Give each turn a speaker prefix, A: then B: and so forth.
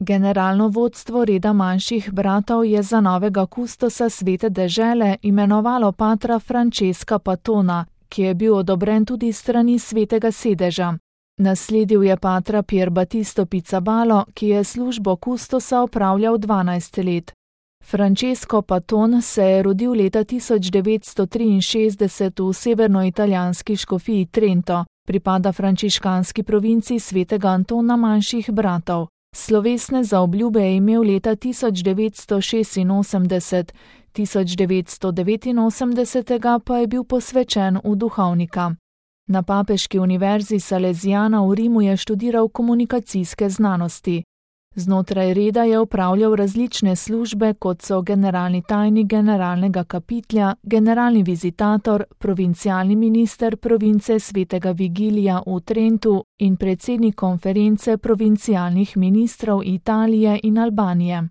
A: Generalno vodstvo reda manjših bratov je za novega kustosa svete dežele imenovalo patra Francesca Patona, ki je bil odobren tudi strani svetega sedeža. Nasledil je patra Pier Battisto Pizzabalo, ki je službo kustosa opravljal 12 let. Francesco Paton se je rodil leta 1963 v severnoitalijanski škofiji Trento, pripada frančiškanski provinciji svetega Antona manjših bratov. Slovesne zaobljube je imel leta 1986, 1989 pa je bil posvečen v duhovnika. Na papeški univerzi Salesiana v Rimu je študiral komunikacijske znanosti. Znotraj reda je opravljal različne službe, kot so generalni tajnik generalnega kapitlja, generalni vizitator, provincialni minister province svetega Vigilija v Trentu in predsednik konference provincialnih ministrov Italije in Albanije.